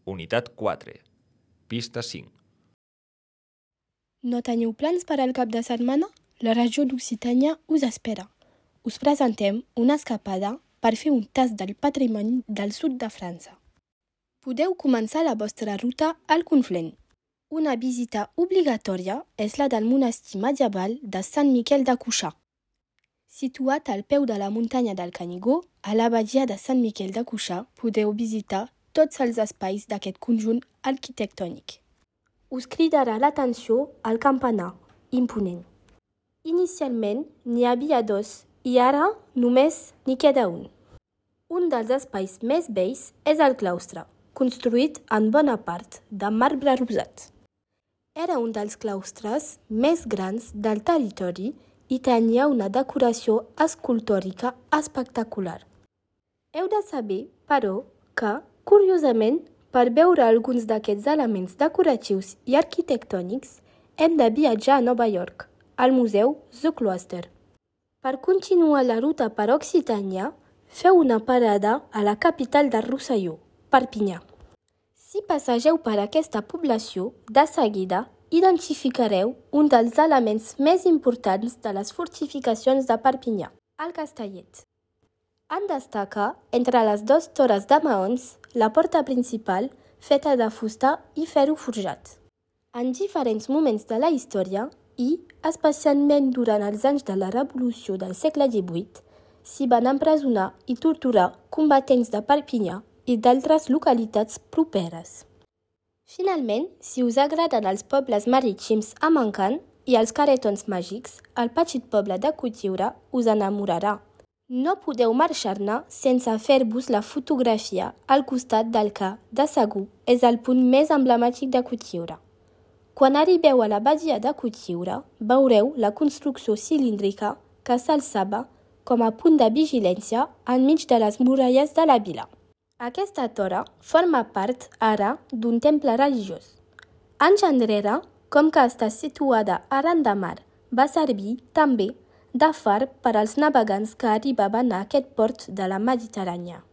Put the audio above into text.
Unitat 4. Pista 5. No teniu plans per al cap de setmana? La regió d'Occitània us espera. Us presentem una escapada per fer un tast del patrimoni del sud de França. Podeu començar la vostra ruta al Conflent. Una visita obligatòria és la del monestir medieval de Sant Miquel de Cuixà. Situat al peu de la muntanya del Canigó, a la badia de Sant Miquel de Cuixà podeu visitar tots els espais d'aquest conjunt arquitectònic. Us cridarà l'atenció el campanar, imponent. Inicialment n'hi havia dos i ara només n'hi queda un. Un dels espais més bells és el claustre, construït en bona part de marbre rosat. Era un dels claustres més grans del territori i tenia una decoració escultòrica espectacular. Heu de saber, però, que, curiosament, per veure alguns d'aquests elements decoratius i arquitectònics, hem de viatjar a Nova York, al Museu The Cloister. Per continuar la ruta per Occitània, feu una parada a la capital del Rosselló, Perpinyà. Si passegeu per aquesta població, de seguida identificareu un dels elements més importants de les fortificacions de Perpinyà, el Castellet. En destaca, entre les dues torres de maons, la porta principal, feta de fusta i ferro forjat. En diferents moments de la història, i especialment durant els anys de la Revolució del segle XVIII, s'hi van empresonar i torturar combatents de Perpinyà i d'altres localitats properes. Finalment, si us agraden els pobles marítims amb encant i els caretons màgics, el petit poble de Cotlliure us enamorarà. No podeu marxar-ne sense fer-vos la fotografia al costat del que, de segur, és el punt més emblemàtic de Cotlliure. Quan arribeu a la badia de Cotlliure, veureu la construcció cilíndrica que s'alçava com a punt de vigilància enmig de les muralles de la vila. Aquesta torre forma part ara d'un temple religiós. Anys enrere, com que està situada arran de mar, va servir també de far per als navegants que arribaven a aquest port de la Mediterrània.